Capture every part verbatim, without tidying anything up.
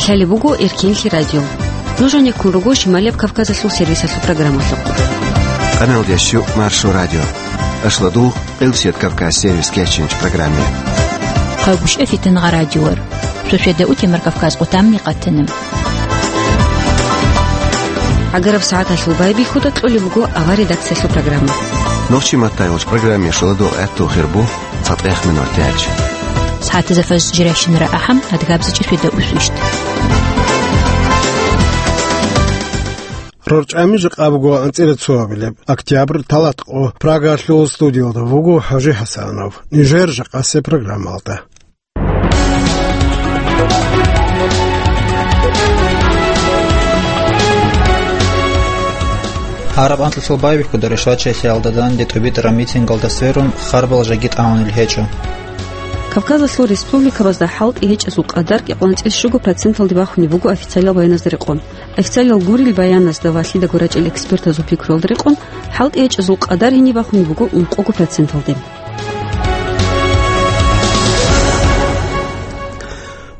Лъалеб буго Эркенлъи радио. Нуж гьанеккун руго Шималияб Кавказалъул сервисалъул программалъухъ. Къаналда щу Маршо радио. Ашладул Къилсият Кавказ сервис кечинч программе. Хъагушев Фитнагъа радиор. Суседа утемар Кавказ къутамни къатана. Агараб сагӀаталъул байбихьуда кьолеб буго авар редакциялъул программа. Нохчи маттайгъуч программе шуладул гӀаттул хирбу цатӀех минор тяч. СагӀатазафаз жиращинара ахӀам адгабзичӀи суседа усвищт. РорчӀами жакъа буго анцӀила цоабилеб октябрь, талатӀкъо. Прагалъул студиялда вуго ХӀажи ХӀасанов. Нижер жакъасе программалда. Гьараб анкьалъул байбихьуда ришвачилъиялда данде тӀубитӀараб митингалда сверун харбал жаги тӀамунел гьечӀо. Кавказалъул республикабазда хӀалтӀи гьечӀезул къадар кӀикъоялда анцӀила щуго проценталде бахунеб буго официалиял баяназда рекъон. Официалиял гурел баяназда ва лъидаго рачӀел экспертазул пикруялда рекъон, хӀалтӀи гьечӀезул къадар гьениб бахунеб буго ункъого проценталде.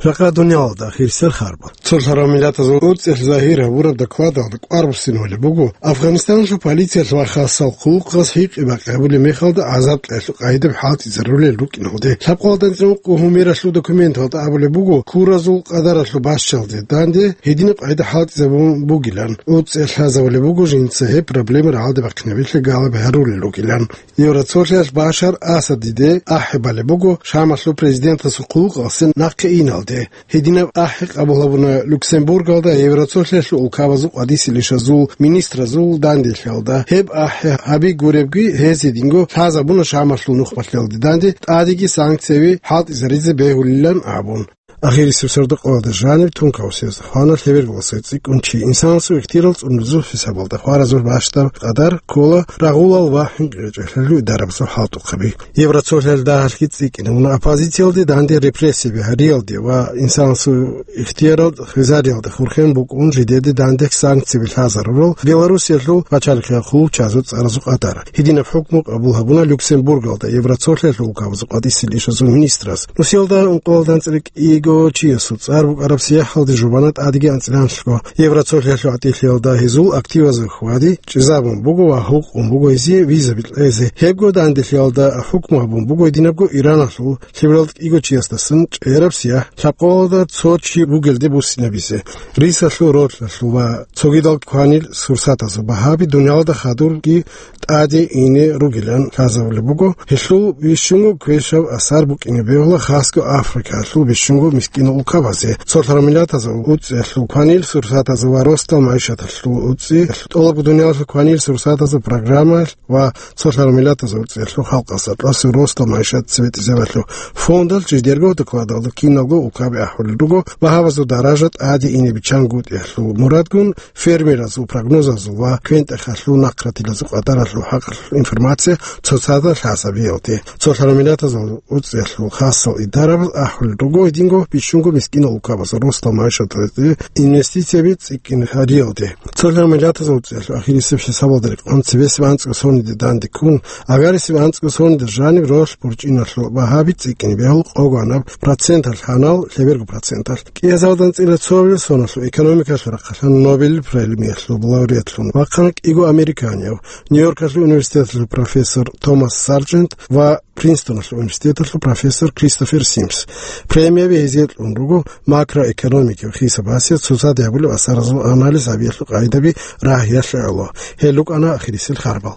Жакъа дуниялалда хирсел харбал. Цолъарав миллатазул уцӀехь загьир гьабураб докладалда кӀвар буссинабулеб буго, Афганистаналъул полициялъ ва хасал хъулухъас гьикъи-бакъи гьабулеб мехалда гӀазаб кьеялъул къагӀидаби хӀалтӀизарулел рукӀиналде. Лъабкъоялда анцӀила ункъо гьумералъул документалда абулеб буго, куразул къадаралъул бащалде данде гьединаб къагӀида хӀалтӀизабун бугилан, уцӀехь лъазабулеб буго жинца гьеб проблема рагӀалде бахъинабилъи галаби гьарулел ругилан. Евроцолъиялъ Башар Асадиде ахӀи балеб буго Шамалъул президентасул хъулухъалъе нахъе иналде. Гьединаб ахӀи къабул гьабуна Люксембургалда Евроцолъиялъул улкабазул къвадисел ишазул министразул данделъиялда. Гьеб ахӀи гьаби гуребги, гьез гьединго лъазабуна Шамалъул нухмалъиялде данде тӀадеги санкцияби хӀалтӀизаризе бегьулилан абун. Ахирисеб сордо-къоялда жаниб тункав съезда хвана лъеберго цӀикӀкӀун чи. Инсанасул ихтияр цӀунулезул хӀисабалда хваразул бащдаб къадар ккола рагъулал ва хӀинкъичӀелъиялъул идарабазул хӀалтӀухъаби. Евроцолъиялда гьалъги цӀикӀкӀине уна оппозициялде данде репрессияби гьариялде ва инсанасул ихтияр хвезариялда хурхен букӀун жидеде данде санкцияби лъазарурал Белоруссиялъул пачалихъ хъулчазул цӀаразул къадар. Гьединаб хӀукму къабул гьабуна Люксембургалда Евроцолъиялъул улкабазул къвадисел ишазул министрас. Нусиялда ункъоялда анцӀила кӀиго чиясул цӀар букӀараб сияхӀалде жубана тӀадеги анцӀила анлъго. Евроцолъиялъул гӀатӀилъиялда гьезул активазул хьвади чӀезабун буго ва гьукъун буго гьезие визаби кьезе. Гьебго данделъиялда хӀукму гьабун буго гьединабго Ираналъул лъебералда кӀиго чиясдасан чӀегӀераб сияхӀ лъабкъоялда цо чи бугелде буссинабизе. Рисалъул, ролъалъул ва цогидал кванил сурсатазул багьаби дуниялда хадурги тӀаде ине ругилан лъазабулеб буго, гьелъул бищунго квешаб асар букӀине бегьула хасго Африкаялъул бищунго мискинал улкабазе. Цолъарав миллатазул уцӀиялъул кванил сурсатазул ва росдал магӀишаталъул уцӀи, тӀолабго дуниялалъул кванил сурсатазул программаялъ ва цолъарав миллатазул уцӀиялъул халкъалъ кьасев росдал магӀишат цебетӀезабиялъул фондалъ жидерго докладалда киналго улкаби ахӀулел руго багьабазул даража тӀаде ине биччан гутӀиялъул мурадгун, фермеразул прогнозазул ва квен-тӀехалъул нахъратилазул къадаралъул хӀакъалъулъ информация цоцазда лъазабиялде. Цолъарав миллатазул уцӀиялъул хасал идарабаз ахӀулел руго гьединго бищунго мискинал улкабазул росдал магӀишаталде инвестицияби цӀикӀкӀин гьариялде. Цолъарав миллатазул уцӀиялъул ахирисеб хӀисабалда рекъон цебесеб анцӀго сониде данде ккун, агарисеб анцӀго сонида жаниб ролъ борчӀиналъул багьаби цӀикӀкӀине бегьул къогоанаб проценталъ гьанал лъеберго проценталъ. КӀиазалда анцӀила цоабилеб соналъул экономикалъул рахъалъан Нобелил премиялъул лауреатлъун вахъана кӀиго американияв, Нью-Йоркалъул университеталъул профессор Томас Сарджент ва Принстоналъул университеталъул профессор Кристофер Симс. Премияби гьезие кьун руго макроэкономикияв хӀисабасиялъ цоцаде гьабулеб асаразул анализ гьабиялъул къагӀидаби рагьиялъе гӀоло. Гьел рукӀана ахирисел харбал.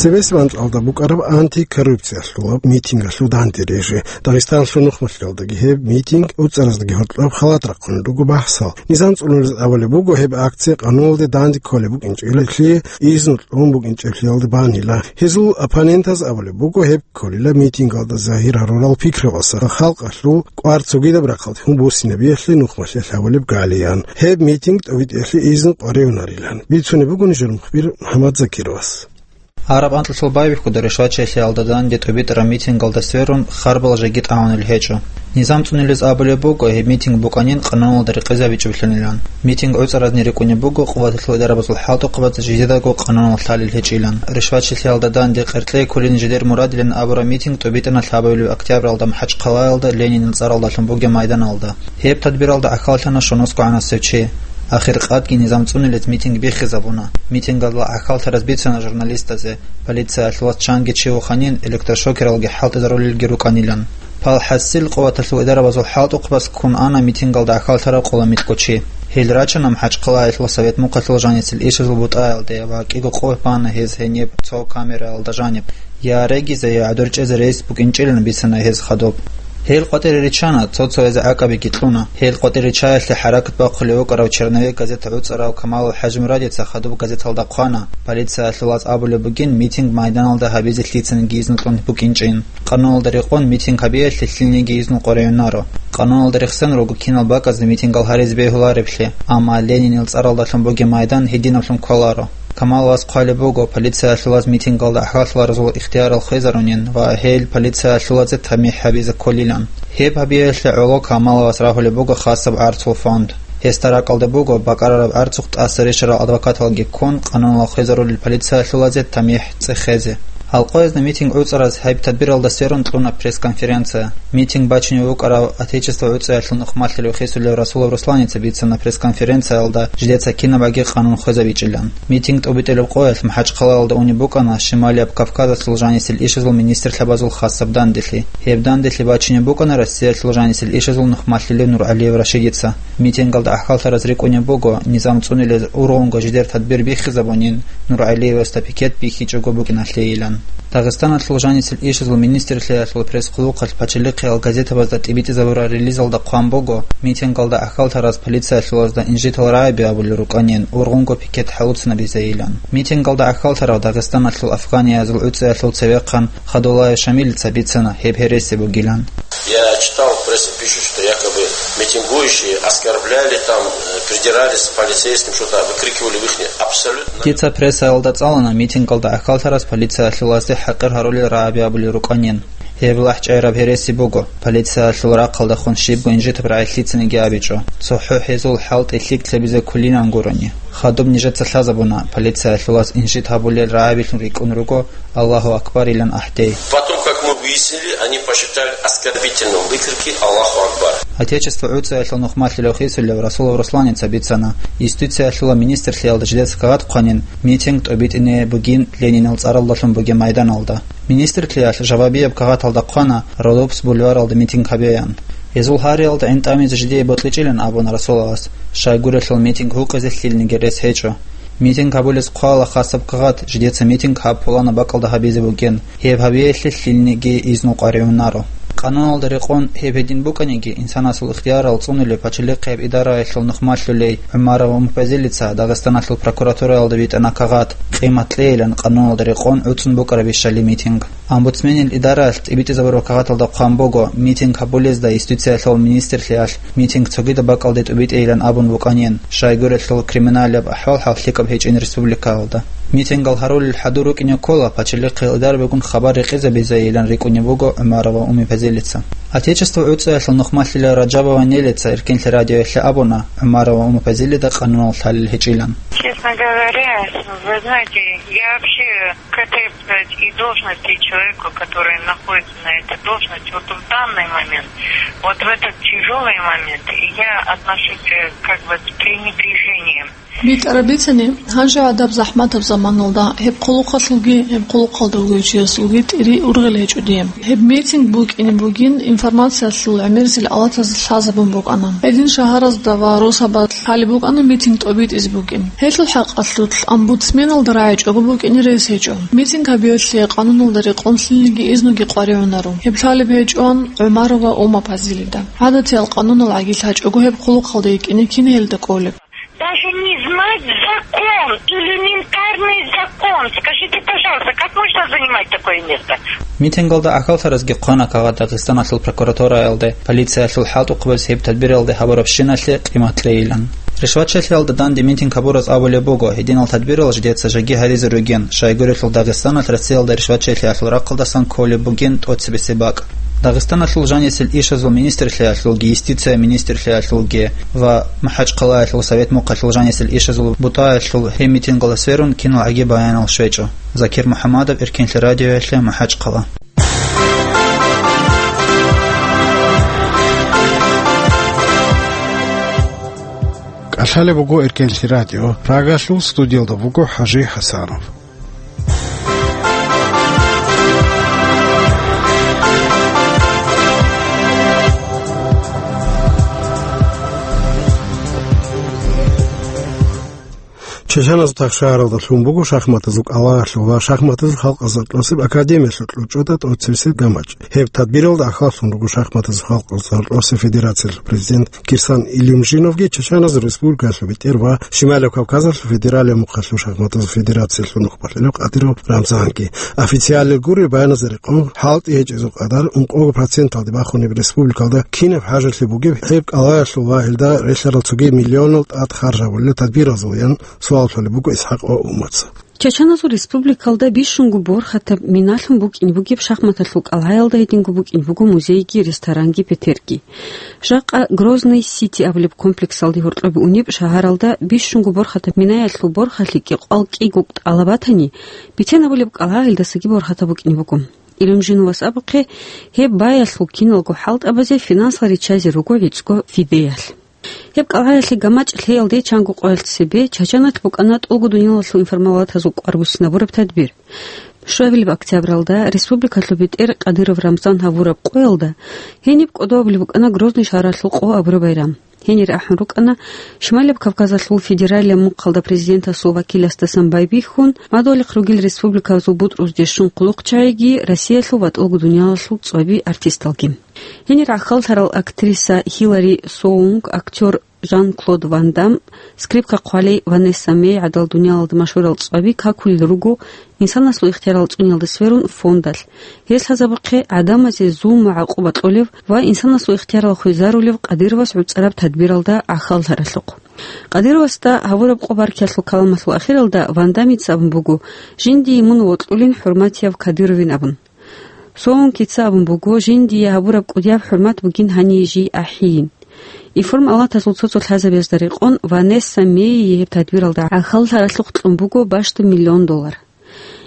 Цебесеб анкьалда букӀараб антикоррупциялъулаб митингалъул данде рижи. Дагъистаналъул нухмалъиялдаги гьеб митинг уцӀараздаги гьоркьоб халат рахъун руго бахӀсал. Низам цӀунулез абулеб буго, гьеб акция къануналде данде кколеб букӀинчӀелъи, изну кьун букӀинчӀеблъиялда банила. Гьезул оппонентаз абулеб буго, гьеб кколила митингалда загьир гьарурал пикрабаса, халкъалъул кӀвар цогидаб рахъалде гьун буссинабиялъе нухмалъиялъ гьабулеб галиян. Гьеб митинг тӀобитӀиялъе изну къваригӀунарилан. Бицунеб буго нижер мухбир МухӀаммад Закировас. Араб анкьалъул байбихьуда ришвачилъиялда данде тӀубитӀараб митингалда сверун, харбал жеги тӀагӀунел гьечӀо. Низам цӀунилез абулеб буго, гьеб митинг букӀанин къануналда рекъезабичӀеблъунилан. Митинг гӀуцӀаразни рикӀкӀунеб буго къуваталъул идарабазул хӀалтӀухъабазда жидедаго къануналъ лъалел гьечӀилан. Ришвачилъиялда данде къеркьей кколин жидер мурадилан абураб митинг тӀубитӀана лъабабилеб октябралда МахӀачхъалаялда Ленинил цӀаралдалъун бугеб майданалда. Гьеб тадбиралда гӀахьаллъана щунусго гӀанасев чи. Ахиркъадги низам цӀунилез митинг биххизабуна. Митингалда гӀахьаллъараз бицана журналистазе, полициялъулас чанги чи вуханин, электрошокералги хӀалтӀизарулелги рукӀанилан. Пал хӀасил къуваталъул идарабазул хӀалтӀухъабаз ккун ана митингалда гӀахьаллъараб къоламикьго чи. Гьел рачана МахӀачхъалаялъул Совет Мухъалъул жанисел ишазул бутӀаялде ва кӀиго къо бана гьез гьениб цо камераялда жаниб. Я регизе, я гӀодор чӀезе рейс букӀинчӀилан бицана гьез хадуб. Гьел къватӀире риччана, цо-цоязе гӀакӀабиги кьуна. Гьел къватӀире риччаялъе хӀаракат бахъулев вукӀарав «Черновик» газета гӀуцӀарав Камалул ХӀажимурадица хадуб газеталда хъвана, полициялъулаз абулеб бугин митинг майданалда гьабизе лъицаниги изну кьун букӀинчӀин. Къануналда рекъон митинг гьабиялъе лъилниги изну къваригӀунаро. Къануналда рехсен руго кинал бакӀазда митингал гьаризе бегьулареблъи, амма Ленинил цӀаралдалъун бугеб майдан гьединаблъун кколаро. Камаловас хъвалеб буго, полициялъулаз митингалда гӀахьаллъаразул ихтиярал хвезарунин ва гьел полициялъулазе тамихӀ гьабизе кколилан. Гьеб гьабиялъе гӀоло Камаловас рагьулеб буго хасаб гӀарцул фонд. Гьесда ракӀалда буго бакӀарараб гӀарцухъ тӀаса рещарал адвокаталги ккун, къануналъ хвезарулел полициялъулазе тамихӀ цӀехезе. Гьалкъоязда митинг гӀуцӀараз гьеб тадбиралда сверун кьуна пресс-конференция. Митинг бачине вукӀарав Отечество гӀуцӀиялъул нухмалъилев хисулев Расулов Русланица бицана пресс-конференциялда жидеца кинабаги къанун хвезабичӀилан. Митинг тӀубитӀулеб къоялъ МахӀачхъалаялда унеб букӀана Шималияб Кавказалъул жанисел ишазул министрлъабазул хасаб данделъи. Гьеб данделъи бачине букӀана Россиялъул жанисел ишазул нухмалъилев НургӀалиев Рашидица. Митингалда гӀахьаллъараз рикӀкӀунеб буго, низам цӀунилез ургъунго жидер тадбир биххизабунин, НургӀалиевасда пикет бихьичӀого букӀиналъейилан. Дагъистаналъул жанисел ишазул министрлъиялъул пресс-хъулухъалъ пачалихъиял газетабазда тӀибитӀизабурал релизалда хъван буго, митингалда гӀахьаллъараз полициялъулазда инжитал рагӀаби абулел рукӀанин, ургъунго пикет хӀалуцинабизейилан. Митингалда гӀахьаллъарав Дагъистаналъул афганиязул гӀуцӀиялъул цевехъан Хадулаев Шамилица бицана гьеб гьереси бугилан. Я читал, в прессе пишут, что якобы митингующие оскорбляли, там, э, придирались к полицейским, что-то выкрикивали в их абсолютно. Дица прессаялда цӀалана митингалда гӀахьаллъараз полициялъулазде хӀакъир гьарулел рагӀаби абулел рукӀанин. Гьеб лахӀчӀайраб гьереси буго, полициялъул рахъалдехун щибго инжитаб рагӀи лъицаниги абичӀо. ЦохӀо гьезул хӀалтӀи лъикӀлъабизе кколилан гурони. Хадуб нижеца лъазабуна, полициялъулаз инжит гьабулел рагӀабилъун рикӀкӀун руго, Аллагьу акбарилан ахӀдей. Потом, как мы выяснили, они посчитали оскорбительным выкрики «Аллаху Акбар». Отечество гӀуцӀиялъул нухмалъилев хисулев Расулов Русланица бицана, юстициялъула министрлъиялда жидеца кагъат хъванин, митинг тӀубитӀине бугин Ленинил цӀаралдалъун бугеб майданалда. Министрлъиялъ жавабияб кагъаталда хъвана, Родопс бульваралда митинг гьабеян. Гьезул гьариялда гӀин тӀамизе жидее бокьичӀилан абуна Расуловас, щайгурелъул митинг гьукъизе лъилниги рес гьечӀо. Митинг гьабулез хъвала хасаб кагъат, жидеца митинг гьаб пуланаб бакӀалда гьабизе бугин, гьеб гьабиялъе лъилниги изну къваригӀунаро. Къануналда рекъон гьеб гьедин букӀаниги, инсанасул ихтиярал цӀунулев пачалихъияб идараялъул нухмалъулей ГӀумарова Умпазилица Дагъистаналъул прокуратураялда витӀана кагъат, къимат кьейилан къануналда рекъон гӀуцӀун букӀарабищали митинг. Омбудсменил идараялъ тӀибитӀизабураб кагъаталда хъван буго, митинг гьабулезда юстициялъул министрлъиялъ митинг цогидаб бакӀалде тӀубитӀейилан абун букӀанин, щайгурелъул криминалияб ахӀвал-хӀал лъикӀаб гьечӀин республикаялда. Митингал гьарулел хӀадур рукӀине ккола, пачалихъе идарабегун хабар рекъезабизейилан рикӀкӀунеб буго ГӀумарова Умипазилица. Отечество гӀуцӀиялъул нухмалъила Раджабова Нелица Эркинлъи радиоялъе абуна, ГӀумарова Умипазилида къануналъ лъалел гьечӀилан. Честно говоря, вы знаете, я вообще к этой, сказать, и должности человеку, который находится на этой должности, вот в данный момент, вот в этот тяжелый момент, я отношусь, э, как бы с пренебрежением. БитӀараб бицани, гьанже гӀадаб захӀматаб заманалда гьеб хъулухъалъулги, гьеб хъулухъалда вугев чиясулги тӀири ургъел гьечӀо дие. Гьеб митинг букӀине бугин информациялъул гӀемерисел алатаз лъазабун букӀана. Гьедин шагьаразда ва росабалъ лъалеб букӀана митинг тӀобитӀизе букӀин. Гьелъул хӀакъалъулъ омбудсменалда рагӀичӀого букӀине рес гьечӀо. Митинг гьабиялъе къануналда рекъон лъилниги изнуги къваригӀунаро. Гьеб лъалеб гьечӀоан ГӀумарова Умипазилида. ГӀадатиял къанунал гӀагил гьачӀого гьеб хъулухъалда йикӀине кин гьелда кӀолеб? Даже не знать закон, элементарный закон. Скажите, пожалуйста, как можно занимать такое место? Митингалда гӀахьаллъаразги хъвана кагъат Дагъистаналъул прокуратураялде, полициялъул хӀалтӀухъабаз гьеб тадбиралде гьабурабщиналъе къимат кьейилан. Ришвачилъиялда данде митинг гьабураз абулеб буго, гьединал тадбирал жидеца жаги гьаризе ругин, щайгурелъул Дагъистаналъ Россиялда ришвачилъиялъул рахъалдасан кколеб бугин тӀоцебесеб бакӀ. Дагъистаналъул жанисел ишазул министрлъиялъулги, юстиция министрлъиялъулги ва МахӀачхъалаялъул Совет мухъалъул жанисел ишазул бутӀаялъул гьеб митингалда сверун киналгӀаги баянал щвечӀо. Закир МухӀаммадов, Эркенлъи радиоялъе, МахӀачхъала. КӀалъалеб буго Эркенлъи радио. Прагалъул студиялда буго ХӀажи ХӀасанов. Чачаназул тахшагьаралда лъун буго шахматазул кӀалаялъул ва шахматазул халкъалъул гьоркьосеб академиялъул кьучӀдаса тӀоцебесеб гамачӀ. Гьеб тадбиралда ахлаллъун руго шахматазул халкъалъул гьоркьосеб федерациялъул президент Кирсан Илюмжиновги Чачаназул республикалъул бетӀер ва Шималияб Кавказалъул федералияб мухъалъул шахматазул федерациялъул нухбалъулев Къадиров Рамзанги. Официаллъи гури баяназда рекъон, хӀалтӀи гьечӀезул къадар ункъого проценталде бахунеб республикалда кинаб хӀажалъи бугеб гьеб кӀалаялъул ва гьелда релълъарал цоги миллионал тӀад харжабулел тадбиралъул, ян суал лъолеб буго ИсхӀакъ Умаца. Чачаназул республикалда бищунго борхатаб миналъун букӀине бугеб шахматалъул кӀалгӀаялда гьединго букӀине буго музейги, ресторанги, петерги. Жакъа Грозный Сити абулеб комплексалде гьоркьобе унеб шагьаралда бищунго борхатаб минаялъул борхалъи кӀикъоялда кӀиго тӀалаб батани, бицен абулеб кӀалгӀа гьелдасаги борхатаб букӀине буго. Илюмжиновас абухъе, гьеб баялъул киналго хӀалтӀабазе финансал риччазе руго гӀицӀго фидеялъ. Гьеб кӀалгӀаялъе гамачӀ лъеялде чанго къоялъ цебе Чачаналъ букӀана тӀолго дуниялалъул информалатазул кӀвар буссинабураб тадбир. Щуабилеб октябралда республикалъул бетӀер Къадиров Рамзан гьавураб къоялда гьениб кӀодо абулеб букӀана Грозный шагьаралъул къо абураб байрам. Гьенире ахӀун рукӀана Шималияб Кавказалъул федералияб мухъалда президентасул вакиласдасан байбихьун, мадугьалихъ ругел республикабазул бутӀрузде щун хъулухъчагӀиги, Россиялъул ва тӀолго дуниялалъул цӀоби артисталги. Гьенир гӀахьаллъарал актриса Хилари Соунг, актёр Жан-Клод Ван Дам, скрипка хъвалей Ванесса Мей гӀадал дуниялалда машгьурал цӀаби какулел руго инсанасул ихтиярал цӀуниялда сверун фондалъ. Гьелъ лъазабухъе гӀадамазе зулм ва гӀакъуба кьолев ва инсанасул ихтиярал хвезарулев Къадировас гӀуцӀараб тадбиралда гӀахьаллъаралъухъ. Къадировасда гьавураб къо-баркиялъул каламалъул ахиралда Ван Дамица абун буго: «Жиндие мун вокьулин, хӀурматияв Кадыровин», – абун. Соункица абун буго: «Жиндие гьабураб кӀудияб хӀурмат бугин гьание жий ахӀийин». Информалатазул цо-цо лъазабазда рекъон Ванесса Мейи гьеб тадбиралда гӀахьаллъаралъухъ кьун буго бащдаб миллион доллар.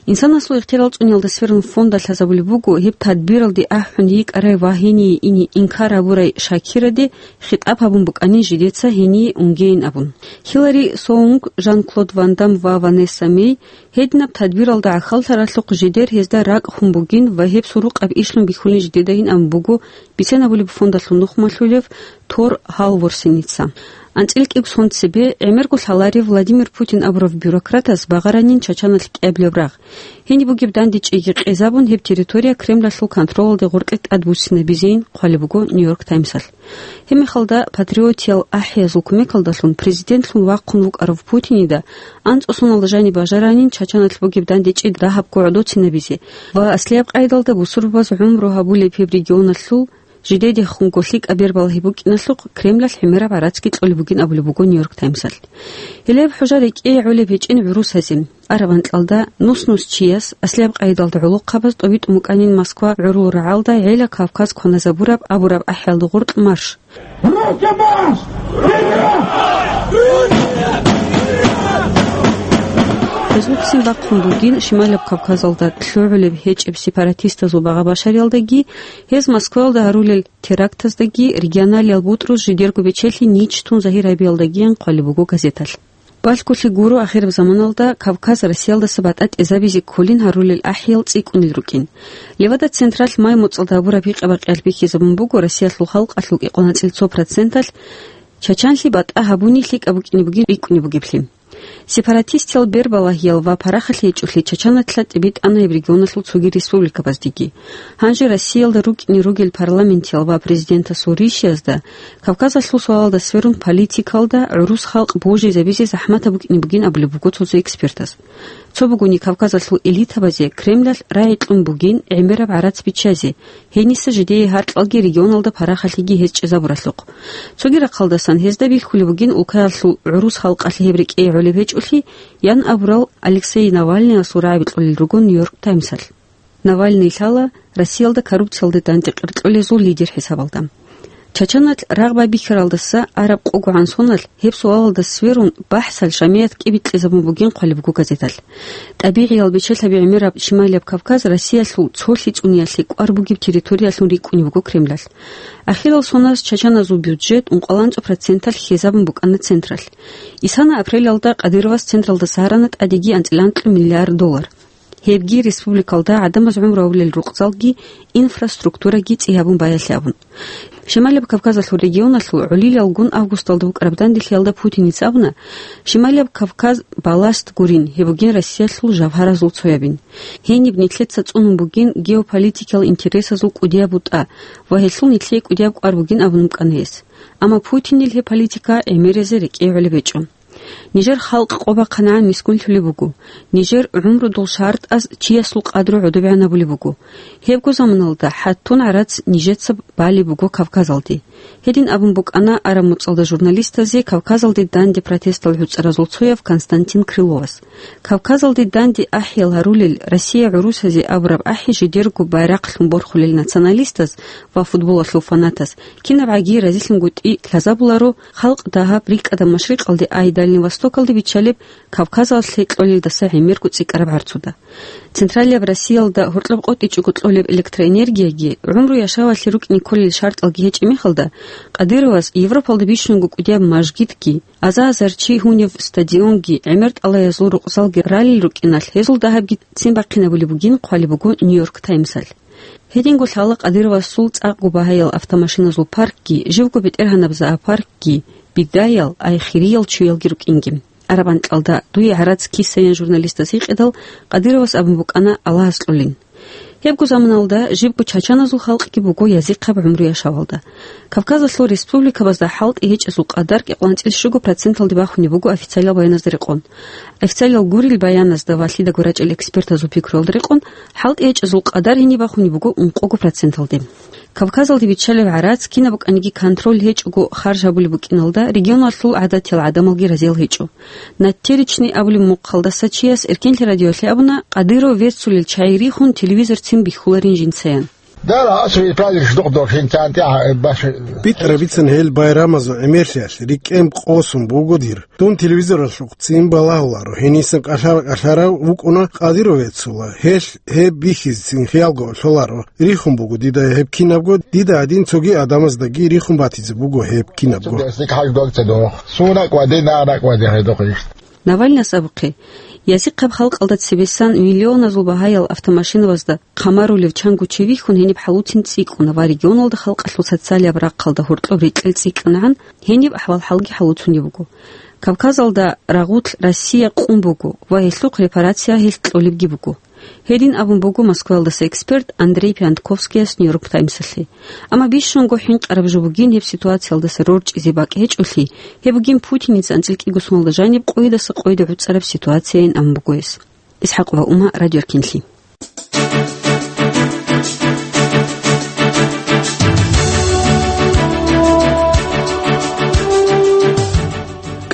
Инсанасул ихтиярал цӀуниялда сверун фонда лъазабулеб буго гьеб тадбиралде ахӀун йикӀарай ва гьение ине инкар гьабурай Шакираде хитӀаб гьабун букӀанин жидеца гьение унгейин абун. Хилари Соунг, Жан-Клод Ван Дам ва Ванесса Мей гьединаб тадбиралда гӀахьаллъаралъухъ жидер гьезда ракӀ хун бугин ва гьеб сурукъаб ишлъун бихьулин жидедайин абун буго бицен абулеб фондалъул нухмалъулев Тор Гьалворсеница. АнцӀила кӀиго сон цебе гӀемерго лъаларев Владимир Путин абурав бюрократас багъаранин Чачаналъ кӀиабилеб рагъ. Гьениб бугеб дандечӀейги къезабун, гьеб территория Кремлалъул контролалде гъоркье тӀадбуссинабизейин хъвалеб буго Нью-Йорк Таймсалъ. Гьеб мехалда патриотиял ахӀиязул кумекалдалъун президентлъун вахъун вукӀарав Путинида анцӀго соналда жаниб бажаранин Чачаналъ бугеб дандечӀи дагьабго гӀодоцинабизе ва аслияб къайдалда бусурбабаз гӀумру гьабулеб гьеб регионалъул жидедехунго лъикӀаб бер балагьи букӀиналъухъ Кремлалъ гӀемераб гӀарацги кьолеб бугин абулеб буго Нью-Йорк Таймсалъ. Гьелеб хӀужа рекӀее гӀолеб гьечӀин гӀурусазе. Араб анкьалда нус-нус чияс, аслияб къайдалда гӀолохъабаз тӀобитӀун букӀанин Москва гӀурул рагӀалда гӀела Кавказ кваназабураб абураб ахӀиялда гъоркь марш. Руки марш! Гьезулъцин бахъун бугин Шималаб Кавказалда лъугӀулеб гьечӀеб сепаратистазул багъа-башариялдаги, гьез Москваялда гьарулел терактаздаги, регионалиял бутӀруз жидерго бечелъи нич тун загьир гьабиялдагиян хъвалеб буго газеталъ. Балъголъи гуро, ахираб заманалда Кавказ Россиялдаса батӀа тӀезабизе кколин гьарулел ахӀиял цӀикӀкӀунел рукӀин. Левада-Централъ май моцӀалда гьабураб гьикъа-бакъиялъ бихьизабун буго Россиялъул халкъалъул кӀикъоялда цо проценталъ Чачанлъи батӀа гьабуни лъикӀаб букӀине бугин рикӀкӀунеб бугеблъи. Сепаратистиял бербалагьиял ва парахалъи гьечӀолъи Чачаналъа тӀибитӀана гьеб регионалъул цоги республикабаздеги. Гьанже Россиялда рукӀине ругел парламентиял ва президентасул ришиязда Кавказалъул суалалда сверун политикалда гӀурус халкъ божизабизе захӀматаб букӀине бугин абулеб буго цо-цо экспертаз. Цо бугони, Кавказалъул элитабазе Кремлалъ рагӀи кьун бугин гӀемераб гӀарац биччазе, гьениса жидее гьаркьалги регионалда парахалъиги гьез чӀезабуралъухъ. Цоги рахъалдасан гьезда бихьулеб бугин улкаялъул гӀурус халкъалъе гьеб рекӀее гӀолеб гьечӀолъи, ян абурал Алексей Навальныясул рагӀаби кьолел руго Нью-Йорк Таймсалъ. Навальный лъала Россиялда коррупциялде дандекъер кьолезул лидер хӀисабалда. Чачаналъ рагъ байбихьаралдаса араб къогогӀан соналъ гьеб суалалда сверун бахӀсал жамият кӀибикьизабун бугин хъвалеб буго газеталъ. ТӀабигӀиял бечелъаби гӀемераб Шималияб Кавказ Россиялъул цолъи цӀуниялъе кӀвар бугеб территориялъун рикӀкӀунеб буго Кремлалъ. Ахирал соналъ чачаназул бюджет ункъоялда анцӀго проценталъ хьезабун букӀана централъ. Исана апрелалда Кадыровас централдаса гьарана тӀадеги анцӀила анкьго миллиард доллар. Гьебги республикалда гӀадамаз гӀумру гьабулел рукъзалги инфраструктураги цӀи гьабун баялъе абун. Шималияб Кавказалъул регионалъул гӀолилалгун августалда букӀараб данделъиялда Путиница абуна, Шималияб Кавказ баласт гурин, гьеб бугин Россиялъул жавгьаразул цоябин. Гьениб нилъеца цӀунун бугин геополитикиял интересазул кӀудияб бутӀа ва гьелъул нилъее кӀудияб кӀвар бугин абун букӀана гьес. Амма Путинил гьеб политика гӀемерезе рекӀее гӀолеб гьечӀо. Нижер халкъ къо бахъанагӀан мискинлъулеб буго. Нижер гӀумрудул шартӀаз чиясул къадру гӀодобегӀан гьабулеб буго. Гьебго заманалда хӀаттун гӀарац нижеца балеб буго Кавказалде. Гьедин абун букӀана араб муцӀалда журналистазе Кавказалде данде протестал гӀуцӀаразул цояв Константин Крыловас. Кавказалде данде ахӀиял гьарулел Россия гӀурусазе абураб ахӀи жидерго байрахълъун борхулел националистаз ва футболалъул фанатаз кинабгӀаги разилъунгутӀи лъазабуларо, халкъ дагьаб рикӀкӀадаб машрикъалде ай Дальний Востокалде биччалеб Кавказалъе кьолелдаса гӀемерго цӀикӀкӀараб гӀарцуда. Централияб Россиялда гьоркьоб къотӀичӀого кьолеб электроэнергияги, гӀумру яшавалъе рукӀине кколел шартӀалги гьечӀеб мехалда, Кадыровас Европалда бищунго кӀудияб мажгитги, аза-азар чи гьунев стадионги, гӀемер тӀалаязул рукъзалги ралел рукӀиналъ, гьезул дагьабги ццин бахъинабулеб бугин хъвалеб буго Нью-Йорк Таймсалъ. Гьединго лъала Кадыровасул цӀакъго багьаял автомашиназул паркги, живго бетӀергьанаб зоопаркги, бигаял, ай хириял чуялги рукӀинги. Араб анкьалда дуе гӀарац кисаян журналистас гьикъидал, Кадыровас абун букӀана Аллагьас кьолин. Гьебго заманалда жибго чачаназул халкъги буго язихъаб гӀумру яшавалда. Кавказалъул республикабазда хӀалтӀи гьечӀезул къадар кӀикъоялда анцӀила щуго проценталде бахунеб буго официалиял баяназда рекъон. Официалиял гурел баяназда ва лъидаго рачӀел экспертазул пикруялда рекъон, хӀалтӀи гьечӀезул къадар гьениб бахунеб буго ункъого проценталде. Кавказалде биччалеб гӀарац кинаб букӀаниги контроль гьечӀого харж гьабулеб букӀиналда, регионалъул гӀадатиял гӀадамалги разиял гьечӀо. Натеричный абулеб мухъалдаса чияс Эркенлъи радиоялъе абуна, Кадыров веццулел чагӀи рихун, телевизор ццин бихьуларин жинцаян. Дала асри праздник ждох дохинчан тя баш. БитӀарабицин гьел байрамазул гӀемерлъиялъ рикӀкӀен къосун буго дир. Дун телевизоралъухъ ццин балагьуларо, гьенисан кӀалъа-кӀалъарав вукӀуна Кадыров веццула, гьелъ гьеб бихьизецин хиялго лъоларо. Рихун буго дида гьеб кинабго, дида гьадин цоги гӀадамаздаги рихун батизе буго гьеб кинабго. Сунак ва динарак ва дехедохъ иш. Навальнас абухъе, язихъаб халкъалда цебесан миллионазул багьаял автомашинабазда хъамарулев чанго чи вихьун гьениб хӀалуцин цӀикӀкӀуна ва регионалда халкъалъул социалияб рахъалда гьоркьоб рекьел цӀикӀкӀанагӀан гьениб ахӀвал-хӀалги хӀалуцунеб буго. Кавказалда рагъулъ Россия къун буго ва гьелъухъ репарация гьелъ кьолебги буго. Гьедин абун буго Москваялдаса эксперт Андрей Пиантковскияс Нью-Йорк Таймсалъе. Амма бищунго хӀинкъараб жо бугин гьеб ситуациялдаса рорчӀизе бакӀ гьечӀолъи, гьеб бугин Путиница анцӀила кӀиго соналда жаниб къойидаса къойиде гӀуцӀараб ситуацияйин абун буго гьес. Исхакова Ума, Радио Эркенлъи.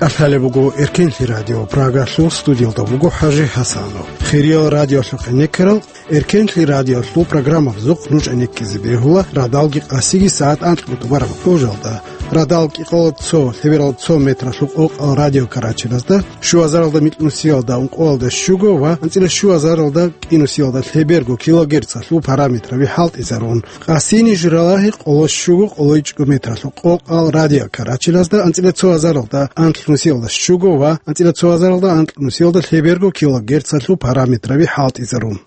КӀалъалеб буго Эркенлъи радио Прагалъул, студиялда буго ХӀажи ХӀасанов. Хириял радиолъухъе некерал, Эркенлъи радиолъул программабазухъ нуж гӀенеккизе бегьула радалги къасиги сагӀат анкьго тӀубараб гъужалда. Радал кӀикъоялда цо, лъебералда цо метралъул къокъал радиокарачелазда, щуазаралда микьнусиялда ункъоялда щуго ва анцӀила щуазаралда кӀинусиялда лъеберго килогерцалъул параметраби хӀалтӀизарун. Къасини журалагьи къоло щуго къоло ичӀго метралъул къокъал радиокарачелазда анцӀила цоазаралда анкьнусиялда щуго ва анцӀила цоазаралда анкьнусиялда лъеберго килогерцалъул параметраби хӀалтӀизарун.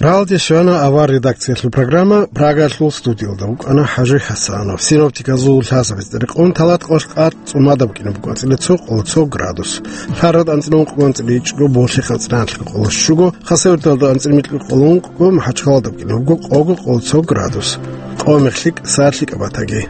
Ралде щвана авар редакциялъул программа. Прагалъул студиялда вукӀана ХӀажи ХӀасанов. Синоптиказул лъазабиз рекъон талат къош къат цӀумадаб кӀина буго анцӀила цо къоло цо градус. Лъарад анцӀила ункъго анцӀила ичӀго, Болъихъ анцӀила анлъго къоло щуго, Хасавюрталда анцӀила микьго къоло ункъго, МахӀачхъалада букӀина буго къого къоло цо градус. Къо мехлъи кӀасарлъи кӀабатаги.